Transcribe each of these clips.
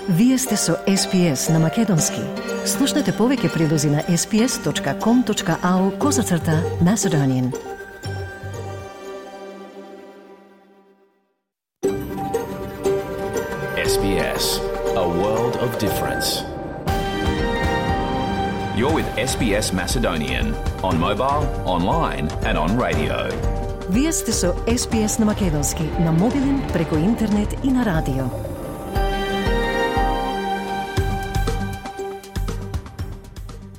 Вие сте со SPS на Македонски. Слушнете повеќе прилози на sps.com.au/Macedonian. SBS, a world of difference. You're with SBS Macedonian on mobile, online and on radio. Вие сте со SPS на Македонски на мобилен, преку интернет и на радио.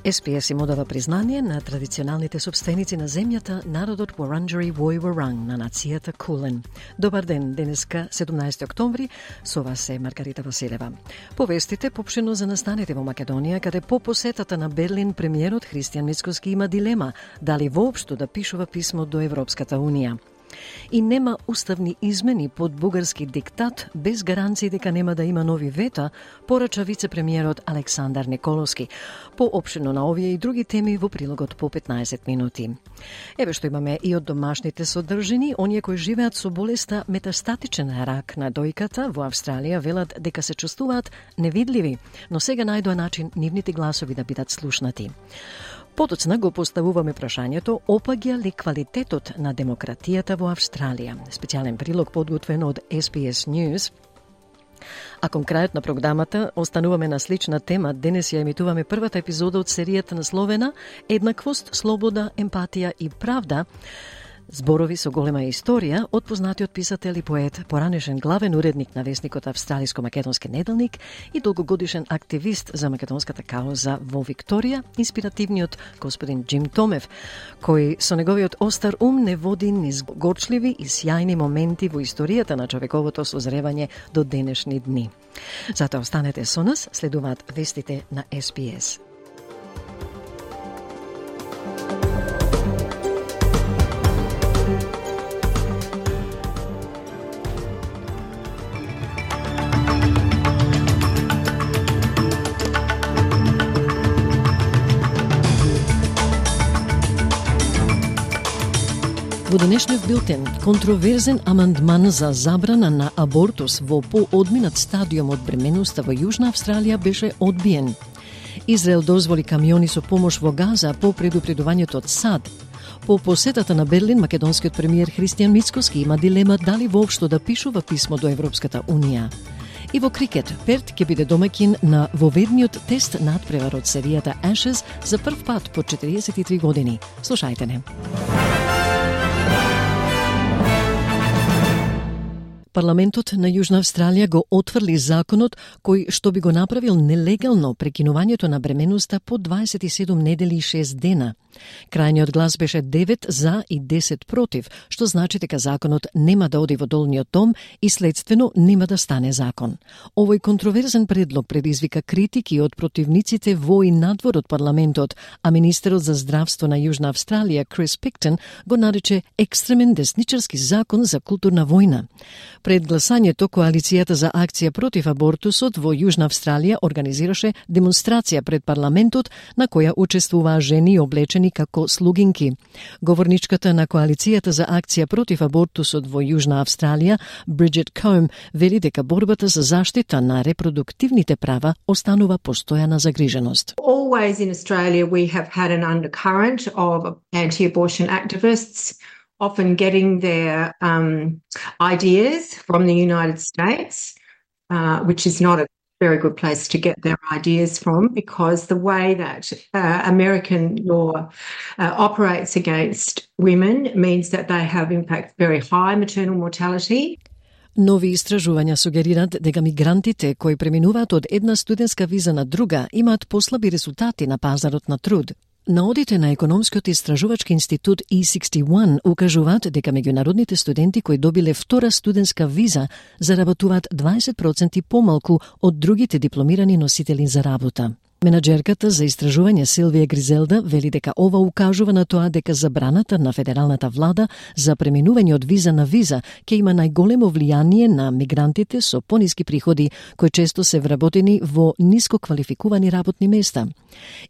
SPS им одава признание на традиционалните собственици на земјата, народот Wurundjeri Woi Wurrung на нацијата Кулен. Добар ден, денеска 17 октомври, со вас е Маргарита Василева. Повестите попшено за настаните во Македонија, каде по посетата на Берлин премиерот Христијан Мицкоски има дилема дали воопшто да пишува писмо до Европската Унија. И нема уставни измени под бугарски диктат без гаранции дека нема да има нови вета, порача вице-премиерот Александар Николовски. Поопшено на овие и други теми во прилогот по 15 минути. Еве што имаме и од домашните содржини, оние кои живеат со болеста метастатичен рак на дојката во Австралија велат дека се чувствуваат невидливи, но сега најдоа начин нивните гласови да бидат слушнати. Потоцна го поставуваме прашањето опаѓа ли квалитетот на демократијата во Австралија. Специјален прилог подготвен од SPS News. А кон крајот на програмата остануваме на слична тема. Денес ја емитуваме првата епизода од серијата насловена Еднаквост, слобода, емпатија и правда. Зборови со голема историја од познатиот писател и поет, поранешен главен уредник на весникот Австралиско-македонски неделник и долгогодишен активист за македонската кауза во Викторија, инспиративниот господин Джим Томев, кој со неговиот остар ум не води низ горчливи и сјајни моменти во историјата на човековото созревање до денешни дни. Затоа останете со нас, следуваат вестите на SPS. Во денешниот билтен, контроверзен амандман за забрана на абортус во поодминат стадиум од бременоста во Јужна Австралија беше одбиен. Израел дозволи камиони со помош во Газа по предупредувањето од САД. По посетата на Берлин, македонскиот премиер Христијан Мицкоски има дилема дали воопшто да пишува писмо до Европската Унија. И во крикет, Перт ќе биде домаќин на воведниот тест надпревар од серијата Ashes за прв пат по 43 години. Слушајте не. Парламентот на Јужна Австралија го отврли законот кој што би го направил нелегално прекинувањето на бременоста по 27 недели и 6 дена. Крајниот глас беше 9 за и 10 против, што значи дека законот нема да оди во долниот дом и следствено нема да стане закон. Овој контроверзен предлог предизвика критики од противниците во и надвор од парламентот, а министерот за здравство на Јужна Австралија Крис Пиктон го нарече екстремен десничарски закон за културна војна. Пред гласањето, Коалицијата за акција против абортусот во Јужна Австралија организираше демонстрација пред парламентот на која учествуваа жени облечени како слугинки. Говорничката на Коалицијата за акција против абортусот во Јужна Австралија, Бриджит Коум, вели дека борбата за заштита на репродуктивните права останува постојана загриженост. Always in Australia we have had an undercurrent of anti-abortion activists often getting their ideas from the United States, which is not a very good place to get their ideas from, because the way that American law operates against women means that they have, in fact, very high maternal mortality. Нови истражувања сугерираат дека мигрантите кои преминуваат од една студентска виза на друга имаат послаби резултати на пазарот на труд. Наодите на економскиот истражувачки институт E61 укажуваат дека меѓународните студенти кои добиле втора студентска виза заработуваат 20% помалку од другите дипломирани носители за работа. Менаџерката за истражување Силвија Гризелда вели дека ова укажува на тоа дека забраната на федералната влада за преминување од виза на виза ќе има најголемо влијание на мигрантите со пониски приходи, кои често се вработени во ниско квалификувани работни места.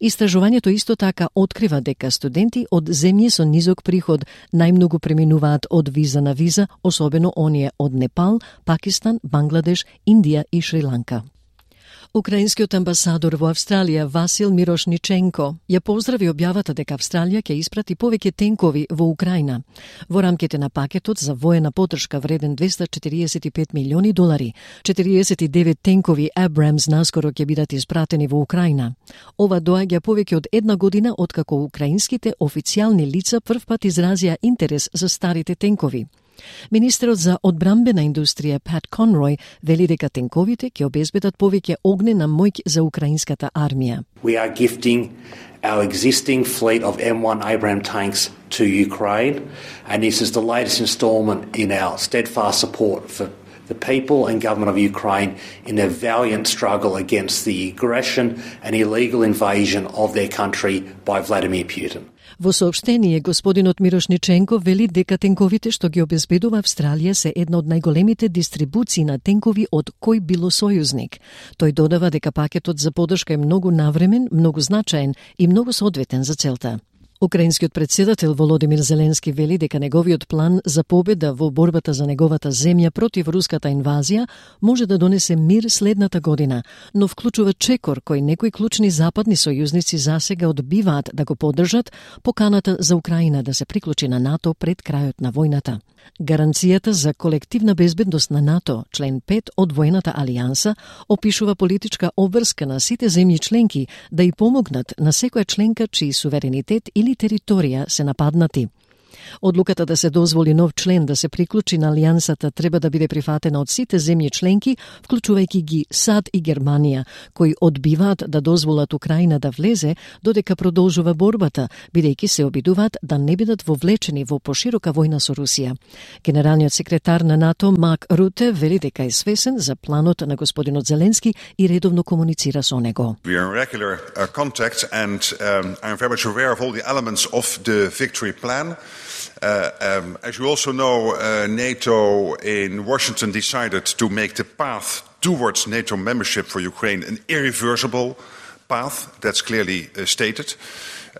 Истражувањето исто така открива дека студенти од земји со низок приход најмногу преминуваат од виза на виза, особено оние од Непал, Пакистан, Бангладеш, Индија и Шри-Ланка. Украинскиот амбасадор во Австралија Васил Мирошниченко ја поздрави објавата дека Австралија ќе испрати повеќе тенкови во Украина. Во рамките на пакетот за воена поддршка вреден $245 милиони, 49 тенкови Abrams наскоро ќе бидат испратени во Украина. Ова доаѓа повеќе од една година откако украинските официјални лица првпат изразија интерес за старите тенкови. Министерот за одбрамбена индустрија Pat Conroy вели дека тенковите ќе обезбедат повеќе огнена моќ за украинската армија. We are gifting our existing fleet of M1 Abrams tanks to Ukraine, and this is the latest installment in our steadfast support for the people and government of Ukraine in their valiant struggle against the aggression and illegal invasion of their country by Vladimir Putin. Во соопштение, господинот Мирошниченко вели дека тенковите што ги обезбедува Австралија се една од најголемите дистрибуции на тенкови од кој било сојузник. Тој додава дека пакетот за поддршка е многу навремен, многу значаен и многу соодветен за целта. Украинскиот председател Володимир Зеленски вели дека неговиот план за победа во борбата за неговата земја против руската инвазија може да донесе мир следната година, но вклучува чекор кој некои клучни западни сојузници засега одбиваат да го поддржат поканата за Украина да се приклучи на НАТО пред крајот на војната. Гаранцијата за колективна безбедност на НАТО, член 5 од воената алијанса, опишува политичка обврска на сите земји членки да и помогнат на секоја членка чиј суверенитет или територија се нападнати. Одлуката да се дозволи нов член да се приклучи на алијансата треба да биде прифатена од сите земји членки, вклучувајќи ги САД и Германија, кои одбиваат да дозволат Украина да влезе додека продолжува борбата, бидејќи се обидуваат да не бидат вовлечени во поширока војна со Русија. Генералниот секретар на НАТО Марк Руте вели дека е свесен за планот на господинот Зеленски и редовно комуницира со него. We are in regular contact and I'm very much aware of all the elements of the victory plan. As you also know, NATO in Washington decided to make the path towards NATO membership for Ukraine an irreversible path. That's clearly stated.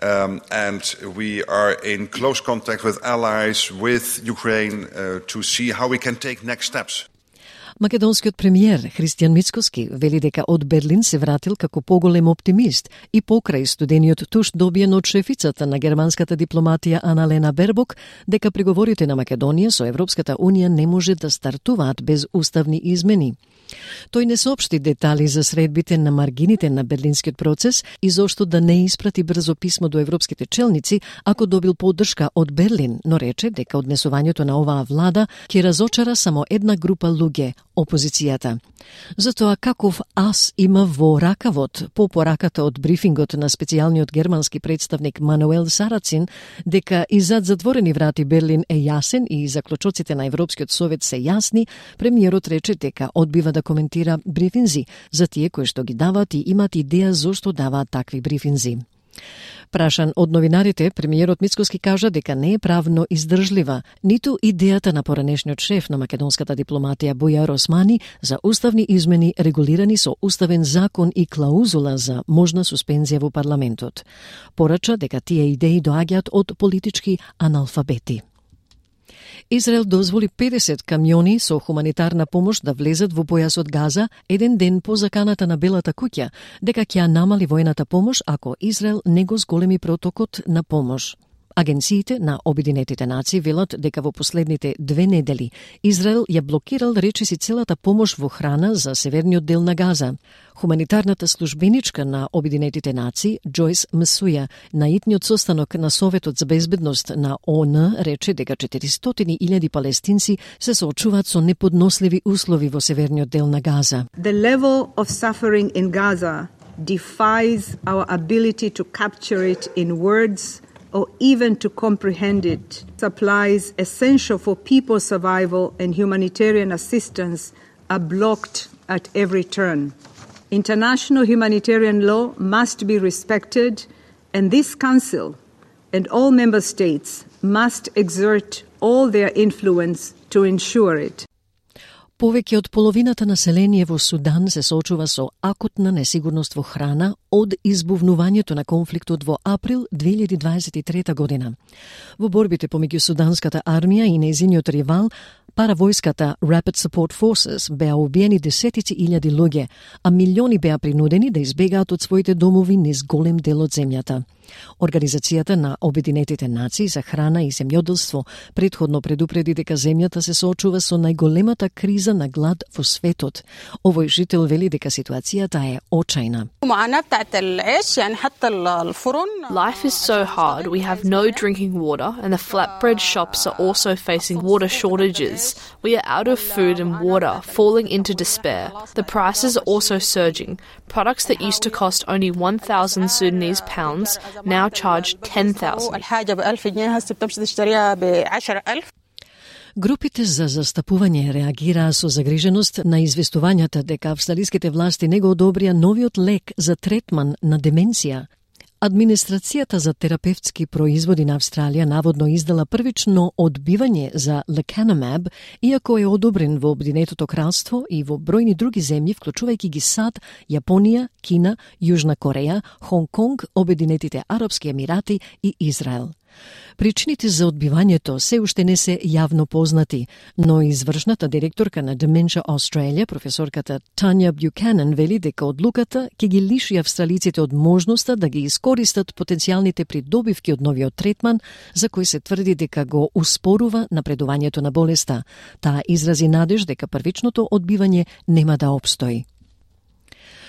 And we are in close contact with allies, with Ukraine, to see how we can take next steps. Македонскиот премиер Христијан Мицкоски вели дека од Берлин се вратил како поголем оптимист и покрај студениот туш добиен од шефицата на германската дипломатија Аналена Бербок дека преговорите на Македонија со Европската Унија не може да стартуваат без уставни измени. Тој не соопшти детали за средбите на маргините на берлинскиот процес и зошто да не испрати брзо писмо до европските челници ако добил поддршка од Берлин, но рече дека однесувањето на оваа влада ќе разочара само една група луѓе, опозицијата. Затоа каков ас има во ракавот по пораката од брифингот на специјалниот германски представник Мануел Сарацин дека и зад затворени врати Берлин е јасен и заклучоците на Европскиот совет се јасни, премиерот рече дека одбива да коментира брифинзи за тие кои што ги даваат и имат идеја зошто даваат такви брифинзи. Прашан од новинарите, премиерот Мицкоски кажа дека не е правно издржлива ниту идејата на поранешниот шеф на македонската дипломатија Бујар Османи за уставни измени регулирани со уставен закон и клаузула за можна суспензија во парламентот. Порача дека тие идеи доаѓаат од политички аналфабети. Израел дозволи 50 камиони со хуманитарна помош да влезат во појасот Газа еден ден по заканата на Белата куќа, дека ќе намали војната помош ако Израел не го зголеми протокот на помош. Агенциите на Обединетите нации велат дека во последните 2 недели Израел ја блокирал речиси целата помош во храна за северниот дел на Газа. Хуманитарната службеничка на Обединетите нации Джойс Мсуја на итниот состанок на Советот за безбедност на ООН рече дека 400.000 палестинци се соочуваат со неподносливи услови во северниот дел на Газа. The level of suffering in Gaza defies our ability to capture it in words or even to comprehend it. Supplies essential for people's survival and humanitarian assistance are blocked at every turn. International humanitarian law must be respected, and this Council and all member states must exert all their influence to ensure it. Повеќе од половината население во Судан се соочува со акутна несигурност во храна од избувнувањето на конфликтот во април 2023 година. Во борбите помеѓу суданската армија и нејзиниот ривал, паравојската Rapid Support Forces, беа убиени десетици илјади луѓе, а милиони беа принудени да избегаат од своите домови низ голем дел од земјата. Организацијата на Обединетите нации за храна и земјоделство претходно предупреди дека земјата се соочува со најголемата криза на глад во светот. Овој жител вели дека ситуацијата е очајна. Life is so hard. We have no drinking water and the flatbread shops are also facing water shortages. We are out of food and water, falling into despair. The prices are also surging. Products that used to cost only 1,000 Sudanese pounds now charge 10,000. Групите за застапување реагираа со загриженост на известувањата дека австралиските власти не го одобрија новиот лек за третман на деменција. Администрацијата за терапевтски производи на Австралија наводно издала првично одбивање за Lecanemab, иако е одобрен во Обединетото кралство и во бројни други земји, вклучувајќи ги САД, Јапонија, Кина, Јужна Кореја, Хонг Конг, Обединетите Арапски Емирати и Израел. Причините за одбивањето се уште не се јавно познати, но извршната директорка на Dementia Australia, професорката Тања Бјуканен, вели дека одлуката ќе ги лиши австралиците од можноста да ги искористат потенцијалните придобивки од новиот третман, за кој се тврди дека го успорува напредувањето на болеста. Таа изрази надеж дека првичното одбивање нема да опстои.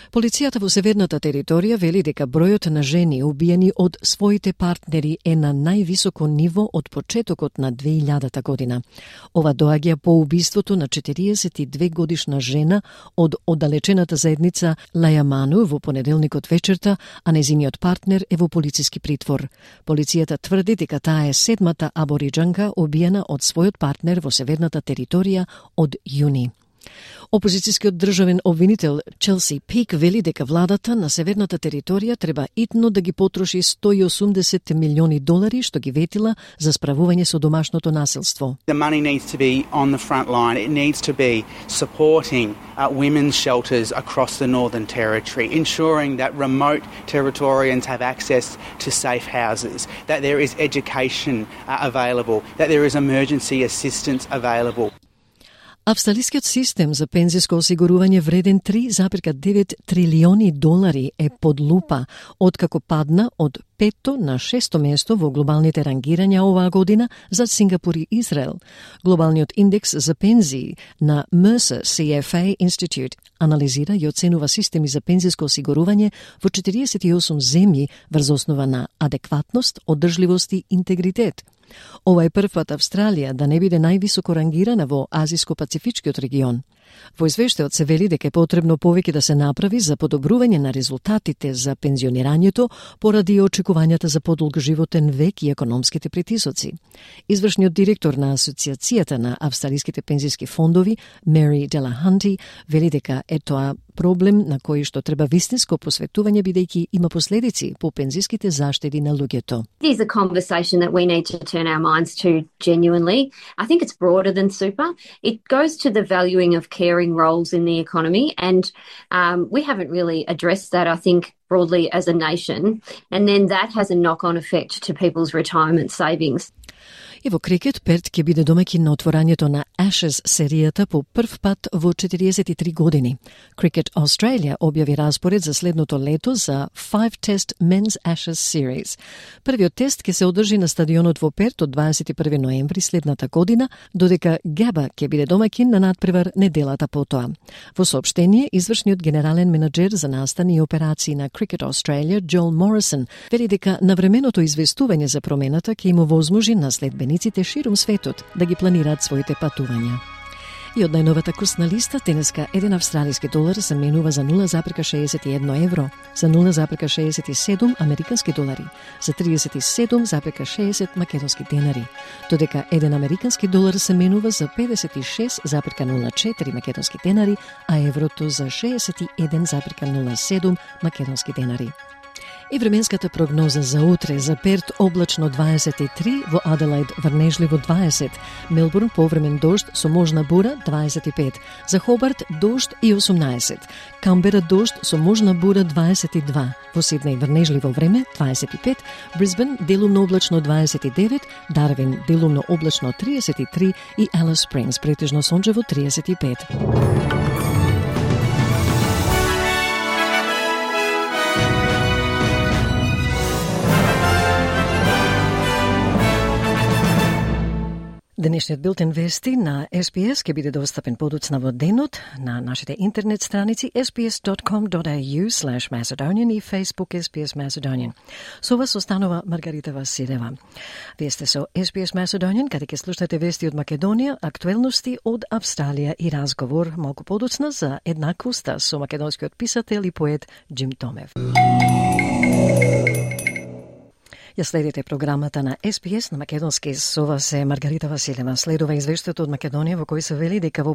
Полицијата во северната територија вели дека бројот на жени убиени од своите партнери е на највисоко ниво од почетокот на 2000 година. Ова доаѓа по убиството на 42 годишна жена од оддалечената заедница Лајаману во понеделникот вечерта, а нејзиниот партнер е во полициски притвор. Полицијата тврди дека таа е седмата абориџанка убиена од својот партнер во северната територија од јуни. Опозицијскиот државен обвинител Челси Пик вели дека владата на северната територија треба итно да ги потроши $180 милиони што ги ветила за справување со домашното насилство. The money needs to be on the front line. It needs to be supporting women's shelters across the Northern Territory, ensuring that remote Territorians have access to safe houses, that there is education available, that there is emergency assistance available. Австралискиот систем за пензиско осигурување вреден $3,9 трилиони е под лупа, откако падна од 5-то на 6-то место во глобалните рангирања оваа година за Сингапур и Израел. Глобалниот индекс за пензии на Mercer CFA Institute анализира и оценува системи за пензиско осигурување во 48 земји врз основа на адекватност, одржливост и интегритет. Ова е прв пат Австралија да не биде највисоко рангирана во Азиско-Пацифичкиот регион. Во извештајот се вели дека е потребно повеќе да се направи за подобрување на резултатите за пензионирањето поради очекувањата за подолг животен век и економските притисоци. Извршниот директор на Асоциацијата на австралиските пензиски фондови, Мери Делаханти, вели дека е тоа проблем на кој што треба вистинско посветување бидејќи има последици по пензиските заштеди на луѓето. It is a conversation that we need to turn our minds to genuinely. I think it's broader than super. It goes to the valuing of caring roles in the economy, and we haven't really addressed that, I think, broadly as a nation, and then that has a knock-on effect to people's retirement savings. И во крикет, Перт ќе биде домаќин на отворањето на Ashes серијата по прв пат во 43 години. Cricket Australia објави распоред за следното лето за 5-test Men's Ashes Series. Првиот тест ќе се одржи на стадионот во Перт од 21 ноември следната година, додека Габа ќе биде домаќин на надпревар неделата потоа. Во соопштение, извршниот генерален менаџер за настани и операции на Cricket Australia, Джоел Морисон, вели дека навременото известување за промената ќе им овозможи на следбениците ширум светот да ги планираат своите патувања. И од најновата курсна листа, денеска $1 австралиски долар се менува за 0,61 евро, за 0,67 американски долари, за 37,60 македонски денари, додека $1 американски долар се менува за 56,04 македонски денари, а еврото за 61,07 македонски денари. И временската прогноза за утре: за Перт облачно 23, во Аделаид врнежливо 20, Мелбурн повремен дожд со можна бура 25, за Хобарт дожд и 18, Камбера дожд со можна бура 22, во Сиднеј врнежливо време 25, Брисбен делумно облачно 29, Дарвин делумно облачно 33 и Алис Спрингс претежно сончево 35. Денешниот билтен вести на SPS ќе биде достапен подоцна во денот на нашите интернет страници sbs.com.au/Macedonian и Facebook SPS Macedonian. Со вас останува Маргарита Василева. Вие сте со SPS Macedonian, каде ќе слушнете вести од Македонија, актуелности од Австралија и разговор малку подоцна за еднаквоста со македонскиот писател и поет Джим Томев. Ја следите програмата на SPS на македонски. Со вас е Маргарита Василева. Следува извештајот од Македонија во кој се вели дека по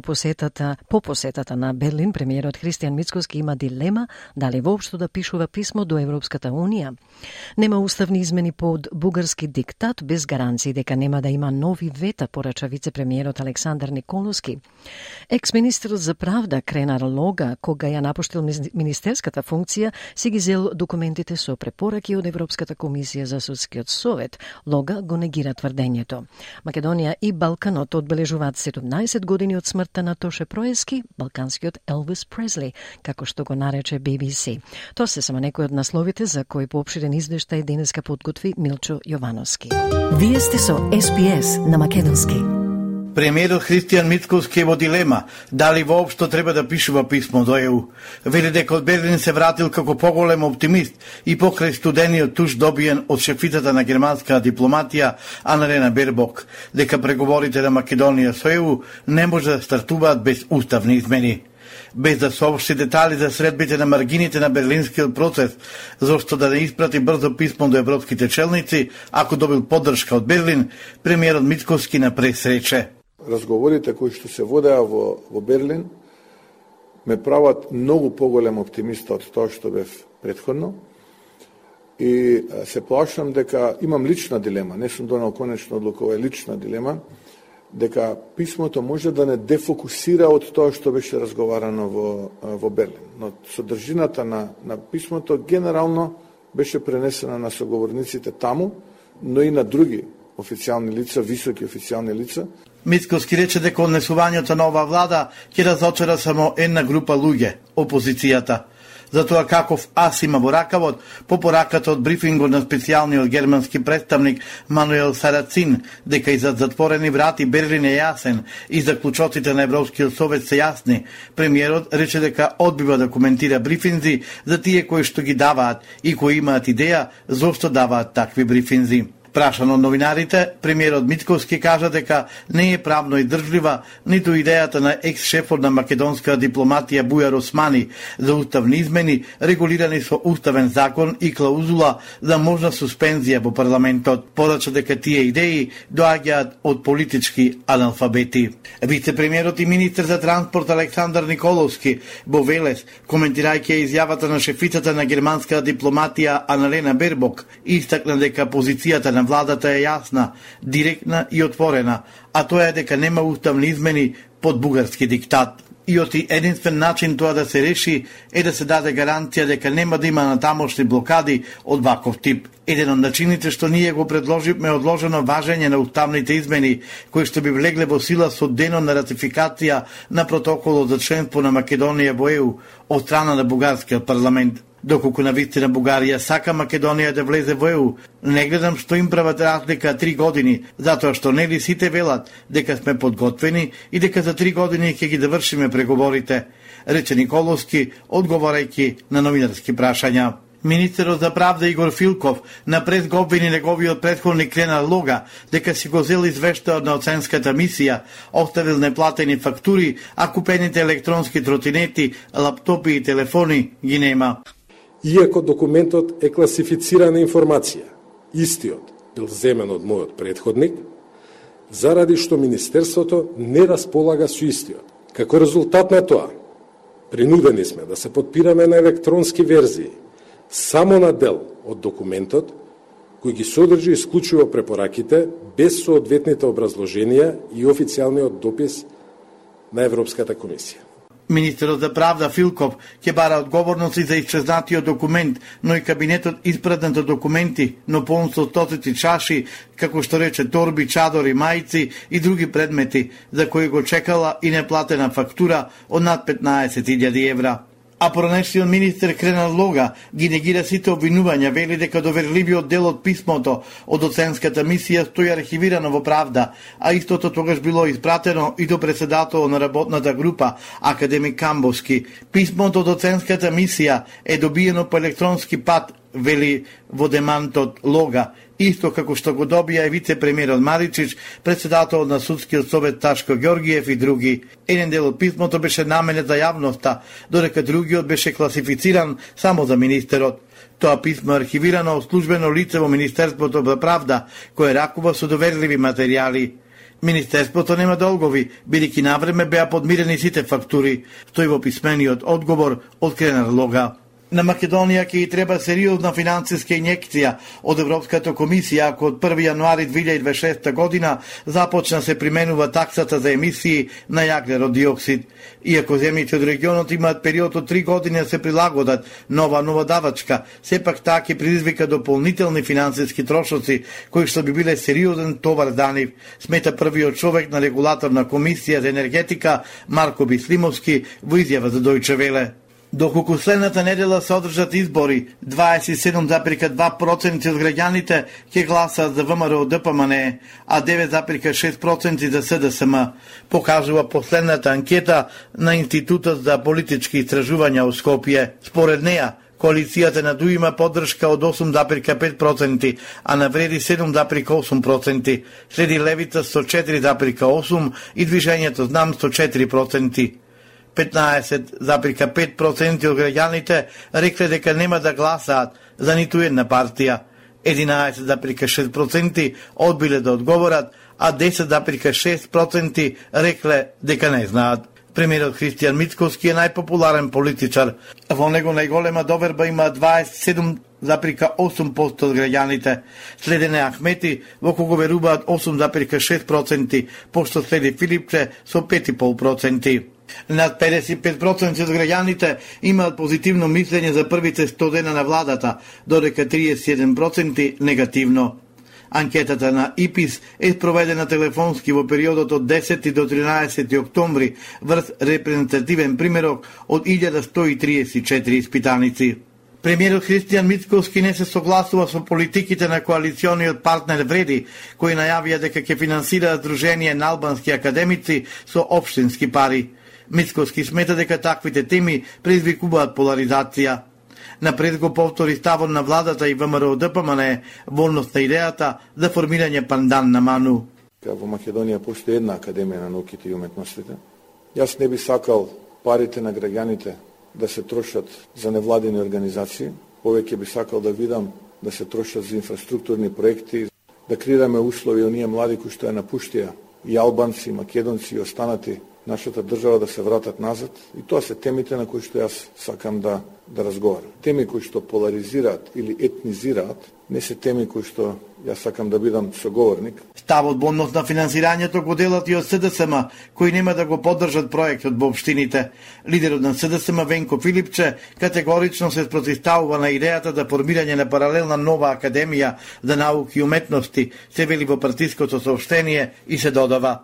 посетата на Берлин, премиерот Христијан Мицкоски има дилема дали воопшто да пишува писмо до Европската Унија. Нема уставни измени под бугарски диктат без гаранции дека нема да има нови вета, порача вице-премиерот Александар Николовски. Екс-министерот за правда Кренар Лога, кога ја напуштил министерската функција, си ги зел документите со препораки од Европската комисија за Судскиот совет. Лога го негира тврдењето. Македонија и Балканот одбележуваат 17 години од смртта на Тоше Проески, балканскиот Елвис Пресли, како што го нарече BBC. Тоа се само некои од насловите за кои поопширен извештај денеска подготви Милчо Јовановски. Вие сте со SPS на македонски. Премиерот Христијан Мицкоски е во дилема дали воопшто треба да пишува писмо до ЕУ. Вели дека од Берлин се вратил како поголем оптимист и покрај студениот туш добиен од шефицата на германска дипломатија Аналена Бербок, дека преговорите на Македонија со ЕУ не може да стартуваат без уставни измени. Без да соопшти детали за средбите на маргините на берлинскиот процес, зашто да не испрати брзо писмо до европските челници, ако добил поддршка од Берлин, премиерот Мицкоски на пресрече. Разговорите кои што се водеа во Берлин ме прават многу поголем оптимист од тоа што бев претходно и се плашам дека имам лична дилема, не сум донел конечна одлука, ова е лична дилема, дека писмото може да не дефокусира од тоа што беше разговарано во Берлин. Но содржината на писмото генерално беше пренесена на соговорниците таму, но и на други официјални лица, високи официјални лица. Мицкоски рече дека однесувањето на оваа влада ќе разочара само една група луѓе, опозицијата. Затоа каков ас има во ракавот, по пораката од брифингот на специјалниот германски представник Мануел Сарацин, дека и зад затворени врати Берлин е јасен и заклучоците на Европскиот совет се јасни, премиерот рече дека одбива да коментира брифинзи за тие кои што ги даваат и кои имаат идеја зошто даваат такви брифинзи. Прашан од новинарите, премиерот Мицкоски кажа дека не е правно издржлива ниту идејата на екс-шефот на македонска дипломатија Бујар Османи за уставни измени регулирани со уставен закон и клаузула за можна суспензија во парламентот. Порача дека тие идеи доаѓаат од политички аналфабети. Вице-премиерот и министер за транспорт Александар Николовски во Велес, коментирајќи изјавата на шефицата на германска дипломатија Аналена Бербок, истакна дека позицијата на владата е јасна, директна и отворена, а тоа е дека нема уставни измени под бугарски диктат. И оти единствен начин тоа да се реши е да се даде гаранција дека нема да има натамошни блокади од ваков тип. Еден од начините што ние го предложивме е одложено важење на уставните измени, кои што би влегле во сила со денот на ратификација на протоколот за членство на Македонија во ЕУ од страна на бугарскиот парламент. Доколку на вистина Бугарија сака Македонија да влезе во ЕУ, не гледам што им прават разлика 3 години, затоа што нели сите велат дека сме подготвени и дека за 3 години ќе ги довршиме преговорите, рече Николовски, одговарајќи на новинарски прашања. Министерот за правда Игор Филков на прес го обвини неговиот претходник Кренар Лога дека си го зел извештајот на оценската мисија, оставил неплатени фактури, а купените електронски тротинети, лаптопи и телефони ги нема. Иако документот е класифицирана информација, истиот бил земен од мојот претходник, заради што Министерството не располага со истиот. Како резултат на тоа, принудени сме да се подпираме на електронски верзии, само на дел од документот, кој ги содржи исклучиво препораките, без соодветните образложенија и официјалниот допис на Европската комисија. Министерот за правда Филков ќе бара одговорности за исчезнатиот документ, но и кабинетот испратнато документи, но полн со стотици чаши, како што рече торби, чадори, мајци и други предмети, за кои го чекала и неплатена фактура од над 15.000 евра. А поранешниот министер Кренар Лога ги негира сите обвинувања, вели дека доверливиот дел од писмото од оценската мисија стои архивирано во Правда, а истото тогаш било испратено и до председателот на работната група, академик Камбовски. Писмото од оценската мисија е добиено по електронски пат, вели во демантот Лога, исто како што го добија и вице-премиерот Маричич, председателот на судскиот совет Ташко Ѓоргиев и други. Еден дел од писмото беше наменет за јавноста, додека другиот беше класифициран само за министерот. Тоа писмо е архивирано од службено лице во Министерството за правда, кое ракува со доверливи материјали. Министерството нема долгови, бидејќи навреме беа подмирени сите фактури, стои во писмениот одговор од Кренар Лога. На Македонија ќе и треба сериозна финансиска инјекција од Европската комисија, ако од 1. јануари 2026 година започна се применува таксата за емисии на јаглерод диоксид. Иако земјите од регионот имаат период од 3 години да се прилагодат нова давачка, сепак таа ќе предизвика дополнителни финансиски трошоци, кои што би биле сериозен товар за нив, смета првиот човек на регулаторна комисија за енергетика Марко Бислимовски во изјава за Дојче Веле. Доколку следната недела се одржат избори, 27,2% од граѓаните ќе гласаат за ВМРО ДПМНЕ, а 9,6% за СДСМ, покажува последната анкета на Институтот за политички истражувања во Скопје. Според неја, коалицијата на ДУ има поддршка од 8,5%, а на Вреди 7,8%, следи Левица со 4,8% и Движењето Знам со 4%. 15,5% од граѓаните рекле дека нема да гласаат за ниту една партија, 11,6% одбиле да одговорат, а 10,6% рекле дека не знаат. Премиерот Христијан Мицкоски е најпопуларен политичар. Во него најголема доверба има 27,8% од граѓаните. Следене Ахмети, во кого веруваат 8,6%, пошто следи Филипче со 5,5%. Над 55% од граѓаните имаат позитивно мислење за првите 100 дена на владата, додека 31% негативно. Анкетата на ИПИС е спроведена телефонски во периодот од 10 до 13 октомври врз репрезентативен примерок од 1134 испитаници. Премиерот Христијан Мицкоски не се согласува со политиките на коалициониот партнер Вреди, кои најавија дека ќе финансираат Сдружение на албански академици со општински пари. Мицкоски смета дека таквите теми предизвикуваат поларизација. Напред го повтори ставот на владата и ВМРО ДПМНЕ волност на идејата за формирање пандан на Ману. Во Македонија постои една академија на науките и уметностите. Јас не би сакал парите на граѓаните да се трошат за невладени организации. Повеќе би сакал да видам да се трошат за инфраструктурни проекти, да креираме услови оние млади кои што ја напуштија, и албанци, и македонци, и останати нашата држава да се вратат назад. И тоа се темите на кои што јас сакам да разговарам. Теми кои што поларизираат или етнизираат, не се теми кои што јас сакам да бидам соговорник. Ставот во однос на финансирањето го делат и од СДСМ, кои нема да го поддржат проектот во општините. Лидерот на СДСМ Венко Филипче категорично се спротивставува на идејата за формирање на паралелна нова академија за науки и уметности, се вели во партиското соопштение и се додава.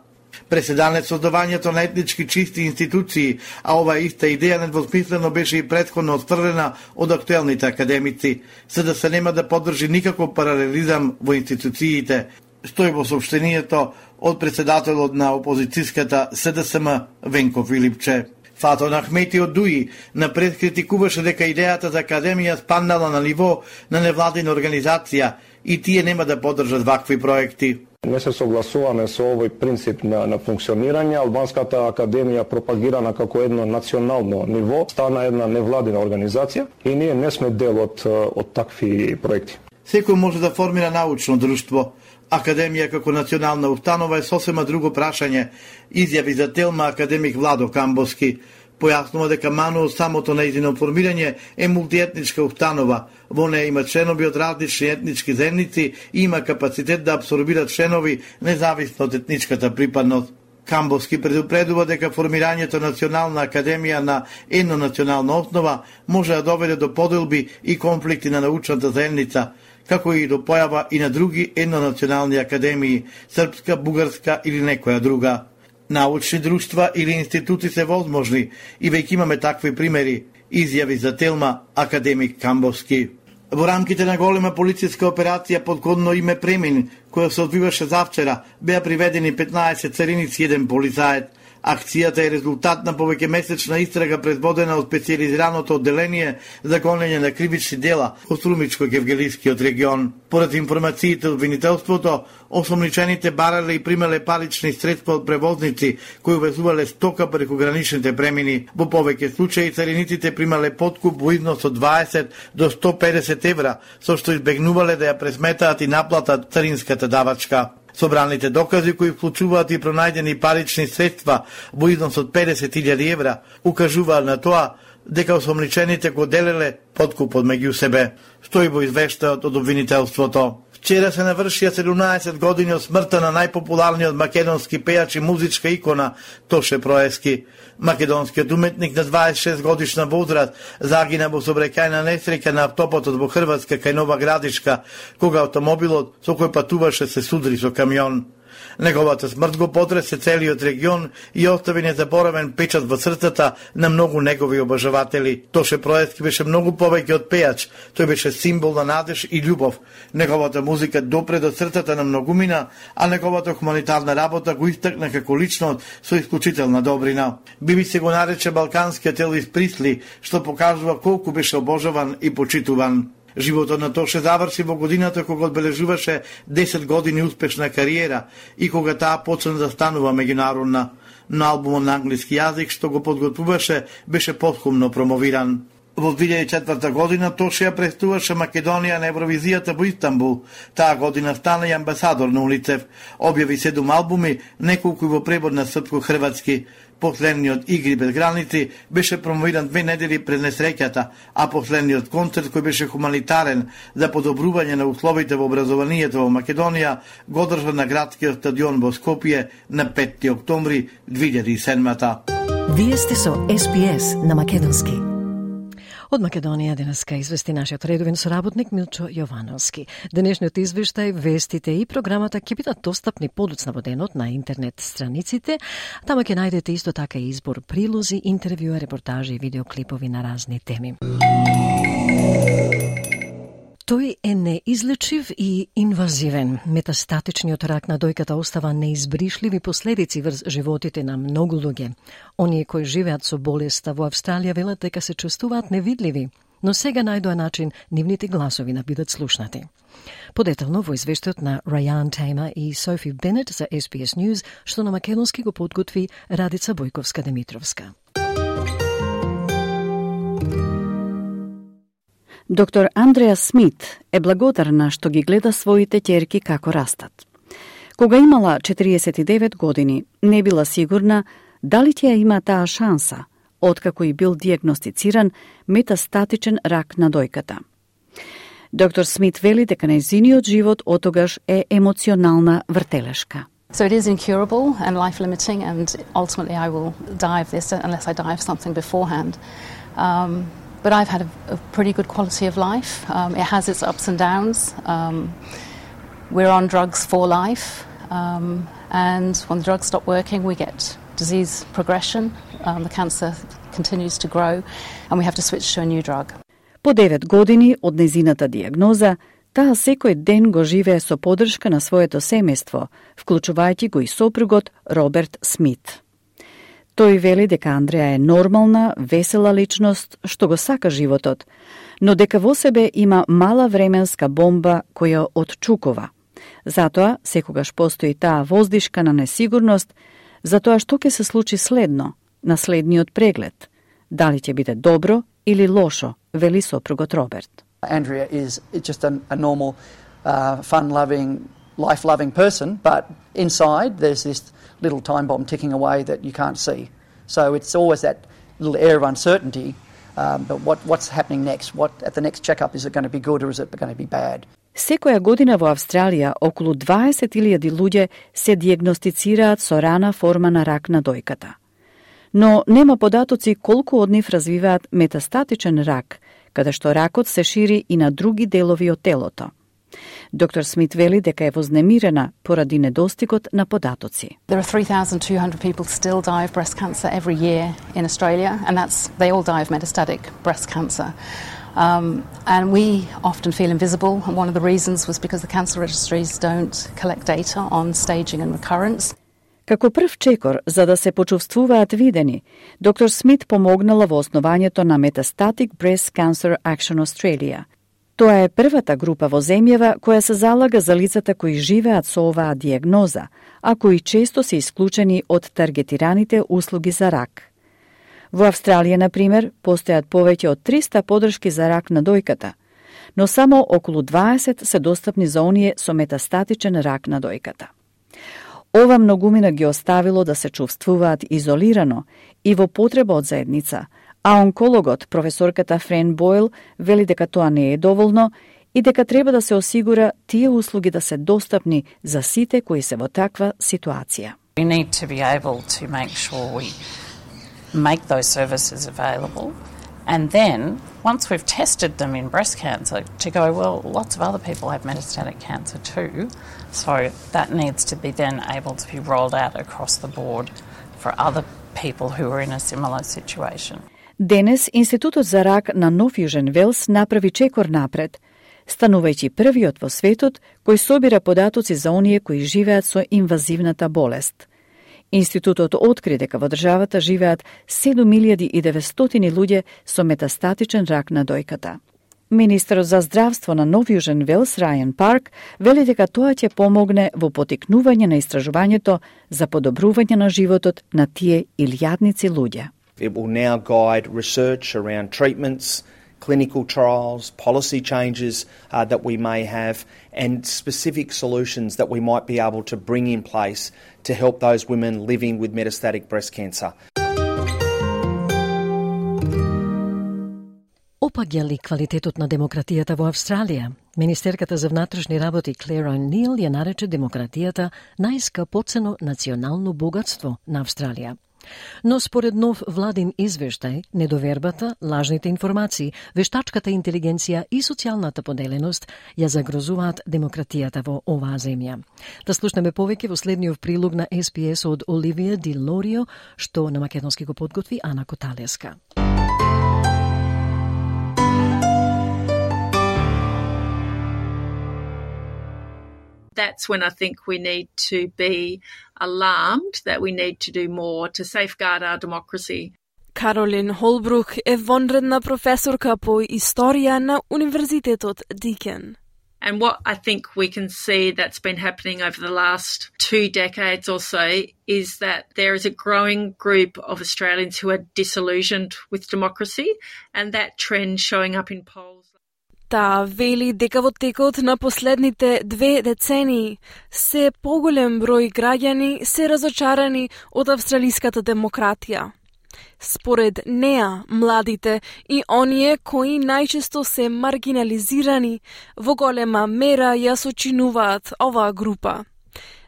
Преседане создавањето на етнички чисти институции, а оваа иста идеја недвосмислено беше и претходно отфрлена од актуелните академици. СДС нема да поддржи никаков паралелизам во институциите, стои во соопштението од председателот на опозицијската СДСМ Венко Филипче. Фатон Ахмети од ДУИ напред критикуваше дека идејата за академија спаднала на ниво на невладина организација и тие нема да поддржат вакви проекти. Не се согласуваме со овој принцип на функционирање. Албанската академија пропагирана како едно национално ниво стана една невладина организација и ние не сме дел од такви проекти. Секој може да формира научно друштво. Академија како национална установа е сосема друго прашање, изјави за Телма академик Владо Камбовски. Појаснува дека мано самото нејзино формирање е мултиетничка установа. Во неја има членови од различни етнички заедници и има капацитет да абсорбира членови независно од етничката припадност. Камбовски предупредува дека формирањето Национална академија на еднонационална основа може да доведе до поделби и конфликти на научната заедница, како и до појава и на други еднонационални академии, српска, бугарска или некоја друга. Научни друштва или институти се возможни и веќе имаме такви примери, изјави за Телма академик Камбовски. Во рамките на голема полициска операција под кодно име Премин, која се одвиваше завчера, беа приведени 15 цариници и 1 полицаец. Акцијата е резултат на повеќемесечна истрага предводена од специјализираното одделение за гонење на кривични дела во Струмичко-Гевгелискиот регион. Поред информациите од обвинителството, осомничените барале и примале парични средства од превозници кои увезувале стока преку граничните премини. Во повеќе случаи цариниците примале подкуп во износ од 20 до 150 евра, со што избегнувале да ја пресметаат и наплатат царинската давачка. Собраните докази кои вклучуваат и пронајдени парични средства во износ од 50.000 евра укажуваат на тоа дека осомничените го делеле подкупот меѓу себе, стои во извештајот од обвинителството. Вчера се навршија 17 години од смртта на најпопуларниот македонски пејач и музичка икона Тоше Проески. Македонскиот уметник на 26 годишна возраст загина во сообраќајна несреќа на автопатот во Хрватска кај Нова Градишка, кога автомобилот со кој патуваше се судри со камион. Неговата смрт го потресе целиот регион и остави незаборавен печат во срцата на многу негови обожаватели. Тоше Проески беше многу повеќе од пејач, тој беше символ на надеж и љубов. Неговата музика допре до срцата на многумина, а неговата хуманитарна работа го истакна како личност со исклучителна добрина. BBC го нарече балканскиот Елвис Присли, што покажува колку беше обожаван и почитуван. Животот на Тоше заврши во годината кога одбележуваше 10 години успешна кариера и кога таа почна да станува меѓународна. На албумот на англиски јазик што го подготвуваше беше потхумно промовиран. Во 2004 година Тоше ја представуваше Македонија на Евровизијата во Истанбул. Таа година стана и амбасадор на УНИЦЕФ. Објави 7 албуми, неколку во превод на српско-хрватски. Последниот Игри без граници беше промовиран 2 недели пред несреќата, а последниот концерт кој беше хуманитарен за подобрување на условите во образованието во Македонија го одржа на градскиот стадион во Скопје на 5 октомври 2007. Вие сте со SPS на македонски. Од Македонија денеска извести нашиот редовен соработник Милчо Јовановски. Денешниот извештај, вестите и програмата ќе бидат достапни подоцна во денот на интернет страниците. Тама ќе најдете исто така и избор прилози, интервјуа, репортажи и видеоклипови на разни теми. Тој е неизлечив и инвазивен. Метастатичниот рак на дојката остава неизбришливи последици врз животите на многу луѓе. Оние кои живеат со болеста во Австралија велат дека се чувствуваат невидливи, но сега најдоа начин нивните гласови да бидат слушнати. Подетално во извештајот на Раян Тейма и Софи Бенет за SBS News, што на македонски го подготви Радица Бојковска-Демитровска. Доктор Андреа Смит е благодарна што ги гледа своите ќерки како растат. Кога имала 49 години, не била сигурна дали ќе има таа шанса, откако и бил диагностициран метастатичен рак на дојката. Доктор Смит вели дека нејзиниот живот отогаш е емоционална вртелешка. So it is incurable and life-limiting, and ultimately I will die of this unless I die of something beforehand. But I've had a pretty good quality of life. It has its ups and downs. We're on drugs for life, and when the drugs stop working, we get disease progression. The cancer continues to grow, and we have to switch to a new drug. По 9 години од незината диагноза, таа секој ден го живее со поддршка на своето семејство, вклучувајќи го и сопругот Роберт Смит. Тој вели дека Андреа е нормална, весела личност што го сака животот, но дека во себе има мала временска бомба која отчукува. Затоа, секогаш постои таа воздишка на несигурност за тоа што ќе се случи следно, на следниот преглед. Дали ќе биде добро или лошо, вели сопругот Роберт. Andrea is just a normal, fun-loving, life-loving person, but inside there's this little time bomb ticking away that you can't see. So it's always that little air of uncertainty. But what's happening next? At the next checkup, is it going to be good or is it going to be bad? Секоја година во Австралија околу 20.000 луѓе се дијагностицираат со рана форма на рак на дојката. Но нема податоци колку од нив развиваат метастатичен рак, каде што ракот се шири и на други делови од телото. Доктор Смит вели дека е вознемирена поради недостигот на податоци. There are 3,200 people still die of breast cancer every year in Australia, and they all die of metastatic breast cancer. And we often feel invisible, and one of the reasons was because the cancer registries don't collect data on staging and recurrence. Како прв чекор за да се почувствуваат видени, доктор Смит помогнала во основањето на Metastatic Breast Cancer Action Australia. Тоа е првата група во земјава која се залага за лицата кои живеат со оваа дијагноза, а кои често се исклучени од таргетираните услуги за рак. Во Австралија, например, постојат повеќе од 300 подршки за рак на дојката, но само околу 20 се достапни за оние со метастатичен рак на дојката. Ова многумина ги оставило да се чувствуваат изолирано и во потреба од заедница, а онкологот, професорката Френ Бойл, вели дека тоа не е доволно и дека треба да се осигура тие услуги да се достапни за сите кои се во таква ситуација. We need to be able to make sure we make those services available, and then once we've tested them in breast cancer, to go, well, lots of other people have metastatic cancer too, so that needs to be then able to be rolled out across the board for other people who are in a similar situation. Денес Институтот за рак на Нов Јужен Велс направи чекор напред, станувајќи првиот во светот кој собира податоци за оние кои живеат со инвазивната болест. Институтот откри дека во државата живеат 7.900 луѓе со метастатичен рак на дојката. Министерот за здравство на Нов Јужен Велс, Рајан Парк, вели дека тоа ќе помогне во потикнување на истражувањето за подобрување на животот на тие илјадници луѓе. It will now guide research around treatments, clinical trials, policy changes that we may have, and specific solutions that we might be able to bring in place to help those women living with metastatic breast cancer. Опаѓа ли квалитетот на демократијата во Австралија? Министерката за внатрешни работи Клер О'Нил ја нарече демократијата најскапоцено национално богатство на Австралија. Но според нов владин извештај, недовербата, лажните информации, вештачката интелигенција и социјалната поделеност ја загрозуваат демократијата во оваа земја. Да слушнеме повеќе во следниот прилог на SPS од Оливија Ди Лорио, што на македонски го подготви Ана Коталеска. That's when I think we need to be alarmed that we need to do more to safeguard our democracy. Каролин Холбрук е вонредна професорка по историја на Универзитетот Дикен. And what I think we can see that's been happening over the last 2 decades or so is that there is a growing group of Australians who are disillusioned with democracy, and that trend showing up in polls. Таа вели дека во текот на последните 2 децении се поголем број граѓани се разочарани од австралиската демократија. Според неа, младите и оние кои најчесто се маргинализирани во голема мера ја сочинуваат оваа група.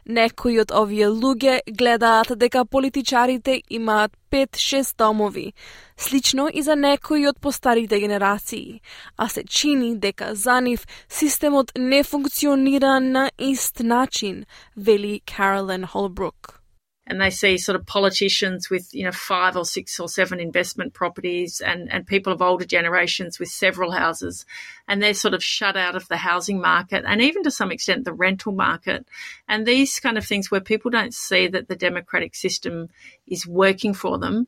Некои од овие луѓе гледаат дека политичарите имаат 5-6 домови, слично и за некои од постарите генерации, а се чини дека за нив системот не функционира на ист начин, вели Каролин Холбрук. And they see sort of politicians with, 5 or 6 or 7 investment properties and people of older generations with several houses. And they're sort of shut out of the housing market and even to some extent the rental market. And these kind of things where people don't see that the democratic system is working for them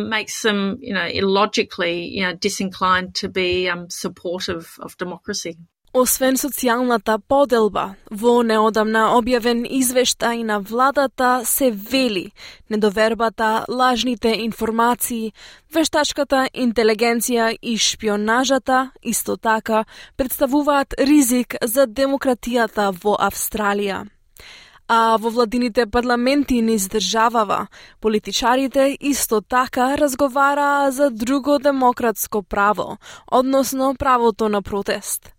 makes them, illogically, disinclined to be supportive of democracy. Освен социјалната поделба, во неодамна објавен извештај на владата се вели недовербата, лажните информации, вештачката интелигенција и шпионажата исто така представуваат ризик за демократијата во Австралија. а во владините парламенти низ државава, политичарите исто така разговараа за друго демократско право, односно правото на протест.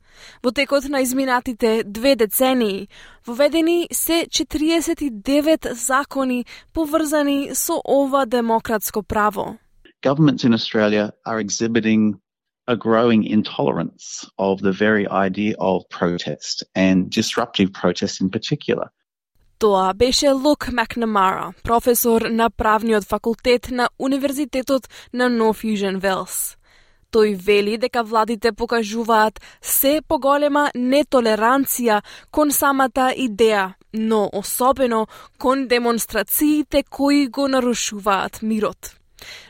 Во текот на изминатите 2 децении, воведени се 49 закони поврзани со ова демократско право. Governments in Australia are exhibiting a growing intolerance of the very idea of protest and disruptive protest in particular. Тоа беше Luke McNamara, професор на правниот факултет на Универзитетот на North Fusion Wells. Тој вели дека владите покажуваат се поголема нетолеранција кон самата идеја, но особено кон демонстрациите кои го нарушуваат мирот.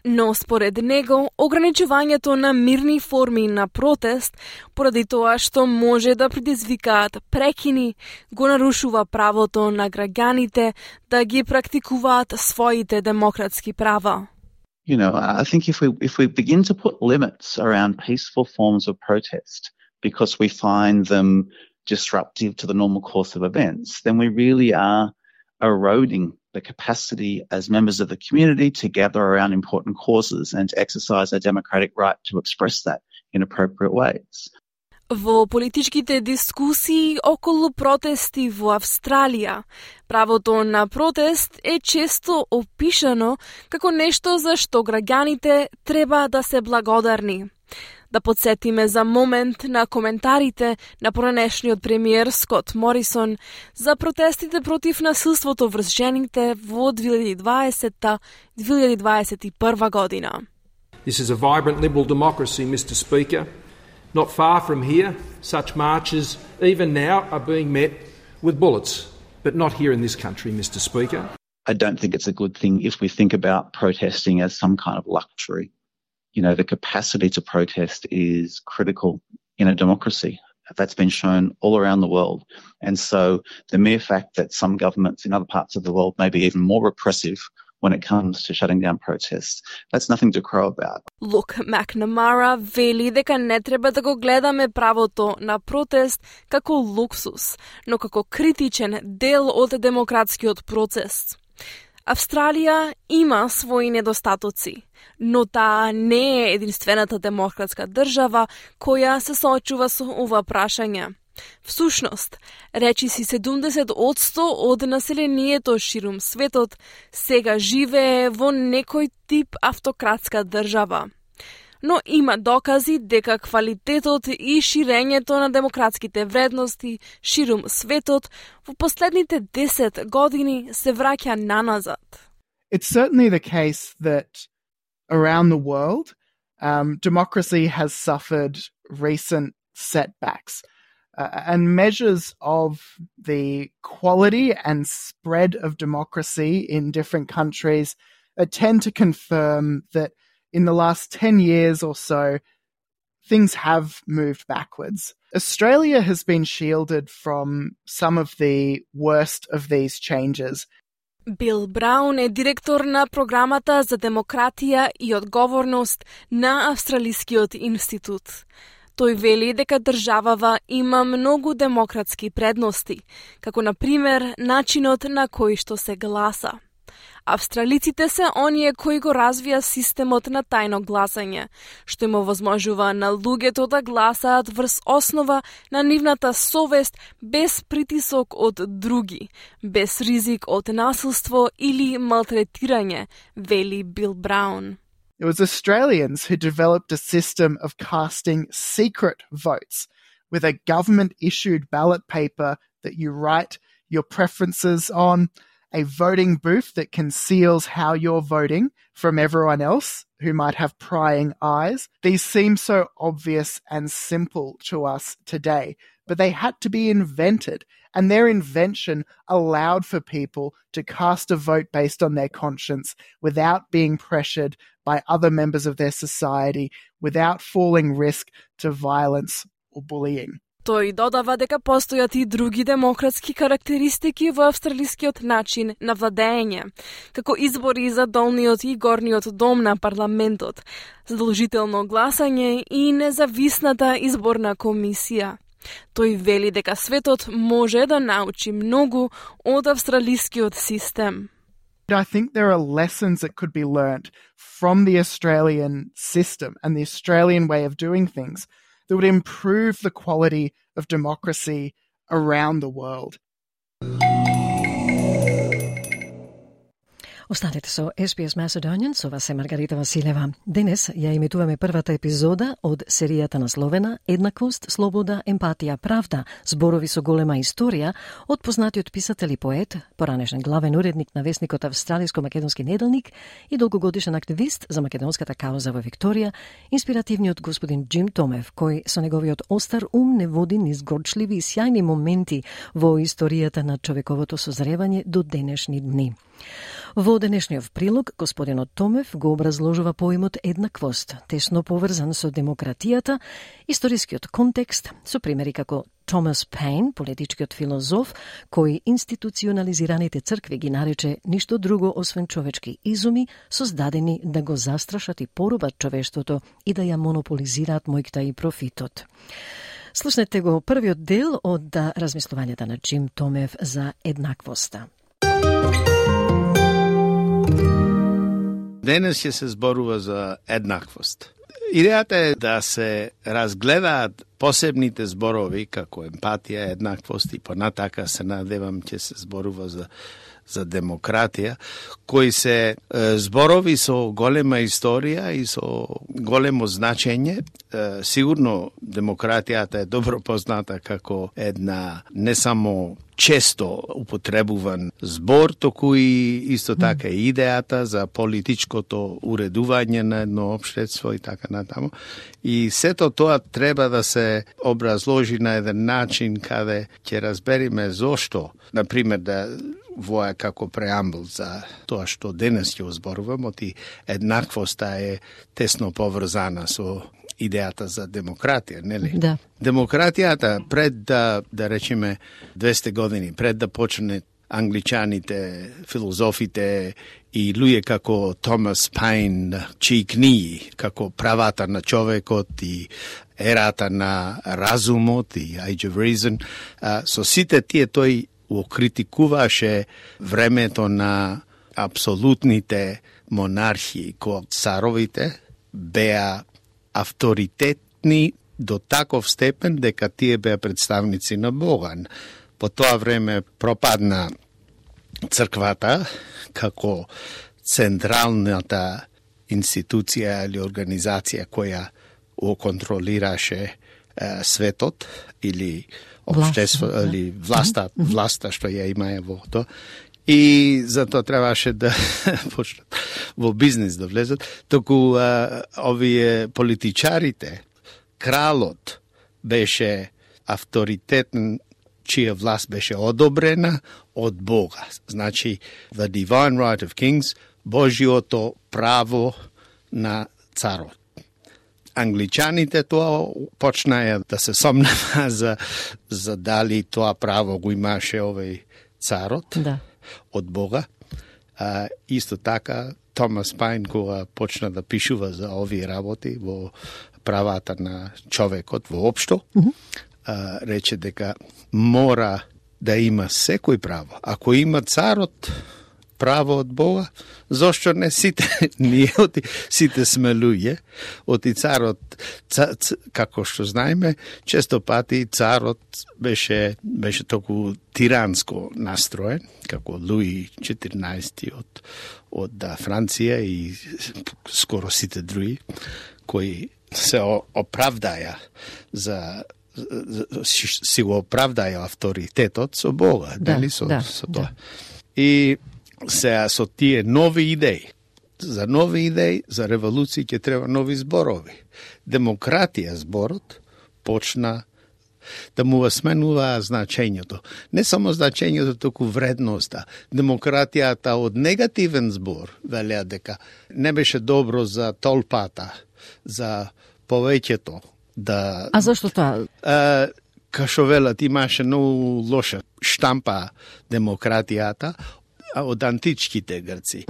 Но според него, ограничувањето на мирни форми на протест, поради тоа што може да предизвикаат прекини, го нарушува правото на граѓаните да ги практикуваат своите демократски права. You know, I think if we begin to put limits around peaceful forms of protest because we find them disruptive to the normal course of events, then we really are eroding the capacity as members of the community to gather around important causes and to exercise our democratic right to express that in appropriate ways. Во политичките дискусии околу протести во Австралија, правото на протест е често опишано како нешто за што граѓаните треба да се благодарни. Да подсетиме за момент на коментарите на поранешниот премиер Скот Морисон за протестите против насилството врз жените во 2020-2021 година. This is a vibrant liberal democracy, Mr. Speaker. Not far from here, such marches, even now, are being met with bullets, but not here in this country, Mr. Speaker. I don't think it's a good thing if we think about protesting as some kind of luxury. You know, the capacity to protest is critical in a democracy. That's been shown all around the world. And so the mere fact that some governments in other parts of the world may be even more repressive when it comes to shutting down protests, that's nothing to crow about. Luke McNamara вели дека не треба да го гледаме правото на протест како луксус, но како критичен дел од демократскиот процес. Австралија има своји недостатоци, но таа не е единствената демократска држава која се соочува со ова прашање. Всушност, речиси 70% од населението ширум светот сега живее во некој тип автократска држава. Но има докази дека квалитетот и ширењето на демократските вредности ширум светот во последните 10 години се враќа наназад. It's certainly the case that around the world, democracy has suffered recent setbacks. And measures of the quality and spread of democracy in different countries tend to confirm that in the last 10 years or so, things have moved backwards. Australia has been shielded from some of the worst of these changes. Бил Браун е директор на програмата за демократија и одговорност на Австралискиот институт. Тој вели дека државава има многу демократски предности, како на пример начинот на кој што се гласа. Австралиците се оние кои го развија системот на тајно гласање, што им овозможува на луѓето да гласаат врз основа на нивната совест без притисок од други, без ризик од насилство или малтретирање, вели Бил Браун. It was Australians who developed a system of casting secret votes with a government-issued ballot paper that you write your preferences on, a voting booth that conceals how you're voting from everyone else who might have prying eyes. These seem so obvious and simple to us today, but they had to be invented, and their invention allowed for people to cast a vote based on their conscience without being pressured by other members of their society, without falling risk to violence or bullying. Тој додава дека постојат и други демократски карактеристики во австралискиот начин на владење, како избори за долниот и горниот дом на парламентот, задолжително гласање и независната изборна комисија. Тој вели дека светот може да научи многу од австралискиот систем. I think there are lessons that could be learnt from the Australian system and the Australian way of doing things that would improve the quality of democracy around the world. Останете со SBS Macedonian, со вас е Маргарита Василева. Денес ја емитуваме првата епизода од серијата насловена Еднаквост, слобода, емпатија, правда, зборови со голема историја од познатиот писател и поет, поранешен главен уредник на весникот Австралиско-македонски неделник и долгогодишен активист за македонската кауза во Викторија, инспиративниот господин Джим Томев, кој со неговиот остар ум не води низ горчливи и сјајни моменти во историјата на човековото созревање до денешни дни. Во денешниот прилог, господинот Томев го образложува поимот еднаквост, тесно поврзан со демократијата, историскиот контекст, со примери како Томас Пейн, политичкиот филозоф, кој институционализираните цркви ги нарече ништо друго освен човечки изуми, создадени да го застрашат и порубат човештвото и да ја монополизираат мојкта и профитот. Слушнете го првиот дел од размислувањата на Джим Томев за еднаквоста. Денес ќе се зборува за еднаквост. Идејата е да се разгледаат посебните зборови како емпатија, еднаквост и понатака се надевам ќе се зборува за демократија, кои се зборови со голема историја и со големо значење. Сигурно демократијата е добро позната како една не само често употребуван збор, току и исто така и идејата за политичкото уредување на едно општество и така натаму. И сето тоа треба да се образложи на еден начин каде ќе разбериме зошто, например, да воја како преамбул за тоа што денес ќе зборувам, оти еднаквоста е тесно поврзана со идејата за демократија, нели? Да. Демократијата пред да речеме 200 години, пред да почне англичаните, филозофите и луѓе како Томас Пейн, чии книги како правата на човекот и ерата на разумот и Age of Reason, со сите тие тој окритикуваше времето на апсолутните монархии, кога царовите беа авторитетни до таков степен дека тие беа представници на Бога. По тоа време пропадна црквата како централната институција или организација која го контролираше светот или општество или власта што ја имае во тоа. И затоа требаше да почнат во бизнис да влезат, току овие политичарите, кралот беше авторитетен, чија власт беше одобрена од Бога. Значи, the divine right of kings, Божјото право на царот. Англичаните тоа почнаја да се сомнева за дали тоа право го имаше овој царот. Да. Од Бога. Исто така, Томас Пейн, кога почна да пишува за овие работи во правата на човекот воопшто, рече дека мора да има секој право. Ако има царот право од Бога, зошто не сите ние, сите сме луѓе, оти царот, како што знаеме, често пати царот беше толку тиранско настроен, како Луи 14 од Франција и скоро сите други, кои се оправдаја си го оправдаја авторитетот со Бога, дали со тоа. И сега со тие нови идеи, за нови идеи, за револуција ќе треба нови зборови. Демократија зборот почна да му сменува значењето. Не само значењето, току вредноста. Демократијата од негативен збор, велеа дека не беше добро за толпата, за повеќето. А зашто тоа? Кашо велат, имаше многу лоша штампа демократијата, од античките Грци.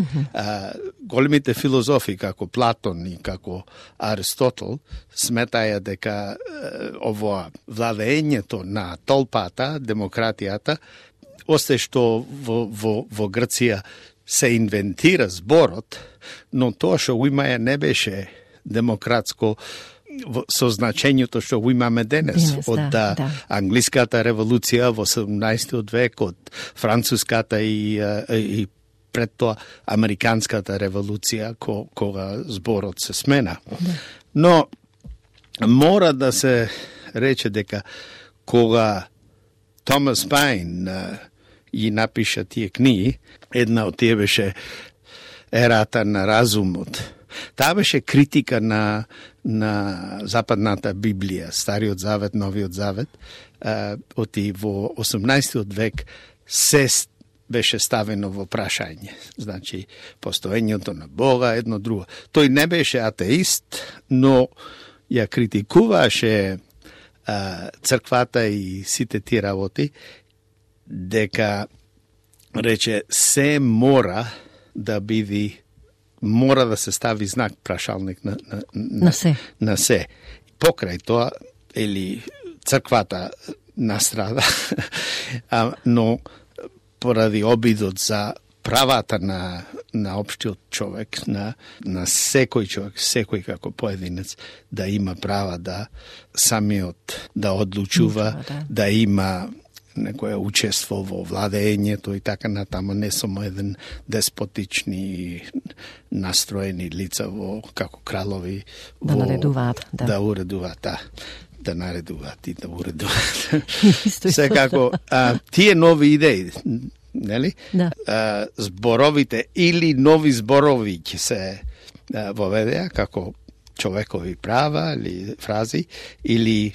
Големите филозофи како Платон и како Аристотел сметаја дека ово владењето на толпата, демократијата, осте што во Грција се инвентира зборот, но тоа што го имаја не беше демократско со значењето што го имаме денес. Од англиската револуција во 17 век, од француската и пред тоа американската револуција, кога зборот се смена. Но мора да се рече дека кога Томас Пајн и напиша тие книги, една од тие беше Ерата на разумот. Таа беше критика на западната Библија, Стариот Завет, Новиот Завет, оти во 18 век се беше ставено во прашање. Значи, постоењето на Бога, едно друго. Тој не беше атеист, но ја критикуваше црквата и сите тие работи, дека рече се мора да биде, мора да се стави знак прашалник на се. Покрај тоа, или црквата настрада, но поради обидот за правата на општиот човек, на секој човек, секој како поединец, да има права да самиот да одлучува, да има некоја учество во владењето и така натаму, не само еден деспотични настроени лица во како кралови да наредуваат, да уредуваат, да наредуваат и да уредуваат. Секако тие нови идеи, нели? Зборовите или нови зборови ќе се воведеа како човекови права или фрази, или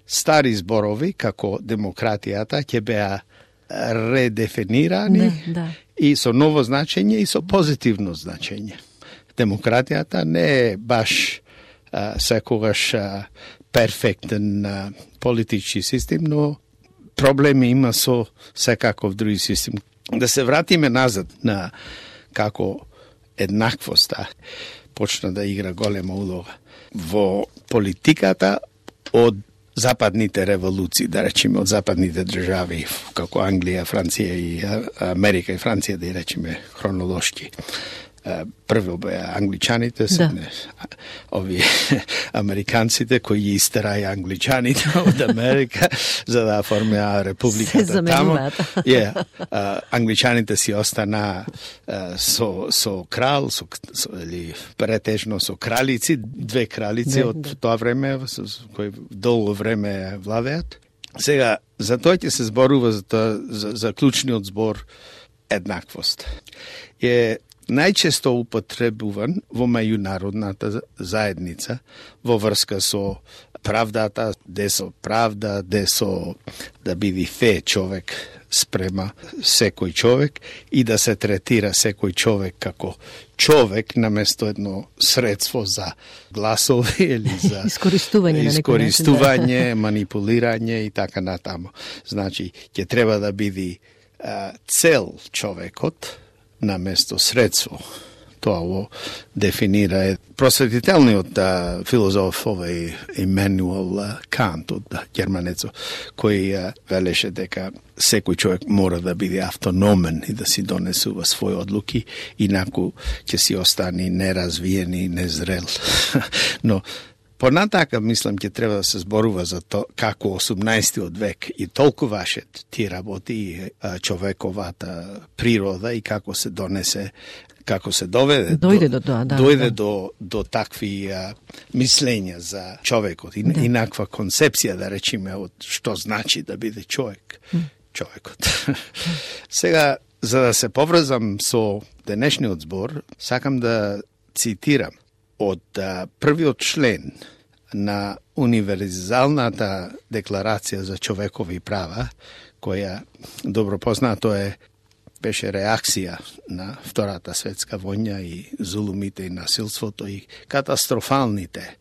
стари зборови како демократијата ќе беа редефинирани и со ново значење и со позитивно значење. Демократијата не е баш секогаш перфектен политички систем, но проблеми има со секаков други систем. Да се вратиме назад на како еднаквоста почна да игра голема улога во политиката од западните револуции, да речеме, од западните држави, како Англија, Франција и Америка и Франција, да речеме хронолошки. Прво беа англичаните, овие американците кои ги истераја англичаните од Америка за да оформеа републиката таму. Англичаните си остана со крал, или претежно со кралици, две кралици од тоа време, кои долго време владеат. Сега, за тоа ќе се зборува за клучниот збор еднаквост. Најчесто употребуван во меѓународната заедница во врска со правдата, де со правда, де со да биде фе човек спрема секој човек и да се третира секој човек како човек наместо едно средство за гласови или за искористување, манипулирање и така натаму. Значи, ќе треба да биде цел човекот наместо средство. Тоа го дефинира просветителниот филозоф Имануел Кант од германецо, кој велеше дека секој човек мора да биде автономен и да си донесува своји одлуки, инаку ќе си остане неразвиен и незрел. Но понатака, мислам, ќе треба да се зборува за тоа како 18 век и толкуваше тие работи и човековата природа и како се донесе, како се дојде до такви мислења за човекот и инаква концепција, да речеме, од што значи да биде човек. Човекот. Сега, за да се поврзам со денешниот збор, сакам да цитирам од првиот член на Универзалната декларација за човекови права, која добро познато беше реакција на Втората светска војна и зулумите и насилството и катастрофалните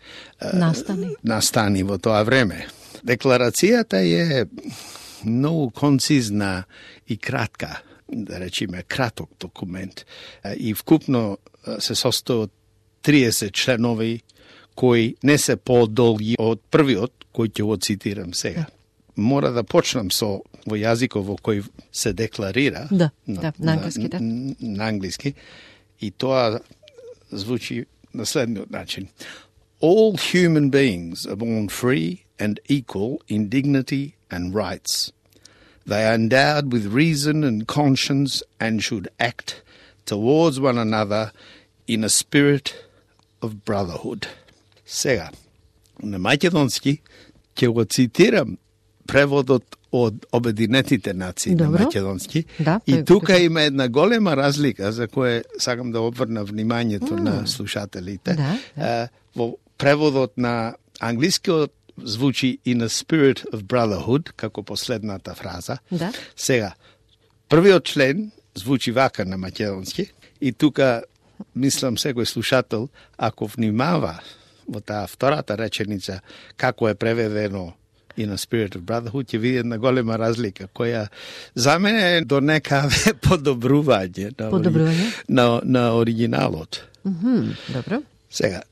настани во тоа време. Декларацијата е многу концизна и кратка. да речеме, краток документ и вкупно се состои од 30 членови кои не се подолги од првиот, кој ќе го цитирам сега. Мора да почнам со во јазикот во кој се декларира. На англиски, на англиски. И тоа звучи на следниот начин. All human beings are born free and equal in dignity and rights. They are endowed with reason and conscience and should act towards one another in a spirit of brotherhood. Сега, на македонски ќе го цитирам преводот од Обединетите нации на македонски. И тука има една голема разлика за која сакам да обрна вниманието на слушателите. Во преводот на англискиот звучи in a spirit of brotherhood, како последната фраза. Сега, првиот член звучи вака на македонски и тука мислам секој слушател, ако внимава во таа втората реченица како е преведено in a spirit of brotherhood, ќе види една голема разлика, која за мене е до некаде подобрување на оригиналот. Добро. Сега,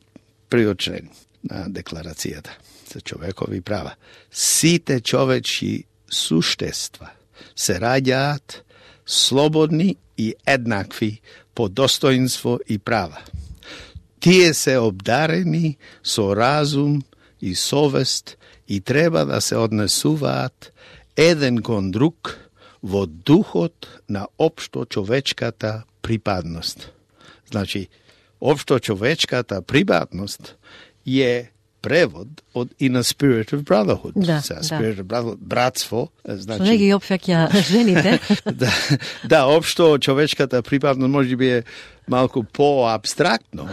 првиот член на декларацијата за човекови права. Сите човечки суштества се раѓаат слободни и еднакви по достоинство и права. Тие се обдарени со разум и совест и треба да се однесуваат еден кон друг во духот на општо човечката припадност. Значи, општо човечката припадност е превод од in a spirit of brotherhood. Spirit of brotherhood, братство. Значи, што не ги опфаќа жените. Општо човечката припадност може би е малку по-абстрактно.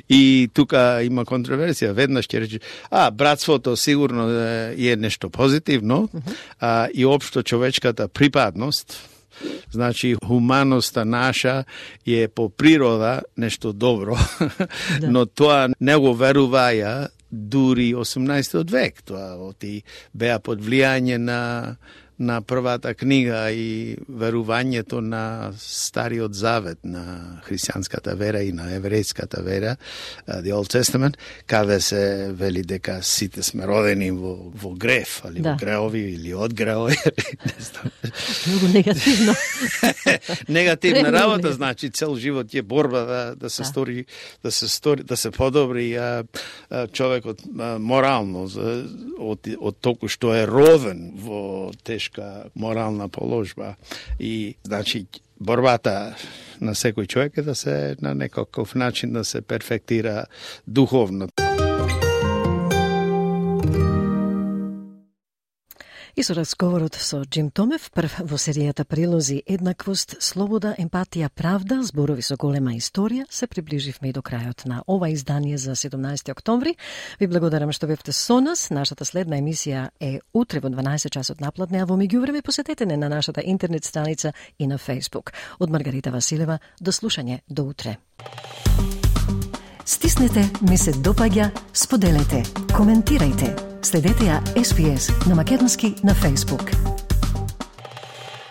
И тука има контроверзија. Веднаш ќе рече, братството сигурно е нешто позитивно, и општо човечката припадност, значи хуманоста наша е по природа нешто добро, но тоа не го веруваја дури 18 век. Тоа беа под влијање на првата книга и верувањето на Стариот Завет, на христијанската вера и на еврејската вера, the Old Testament, каде се вели дека сите сме родени во греф, али во греови или од греови. Много негативно. Негативна работа, значи цел живот е борба да се подобри човекот морално од толку што е роден во тешка морална положба. И, значи, борбата на секој човек е да се на некаков начин да се перфектира духовно. И со разговорот со Джим Томев, прв во серијата Прилози еднаквост, слобода, емпатија, правда, зборови со голема историја, се приближивме и до крајот на ова издание за 17 октомври. Ви благодарам што бевте со нас. Нашата следна емисија е утре во 12 часот напладне, а во меѓувреме посетете не на нашата интернет страница и на Facebook. Од Маргарита Василева, до слушање, до утре. Стиснете, ми се допаѓа, споделете, коментирајте. Следете ја SPS на македонски на Facebook.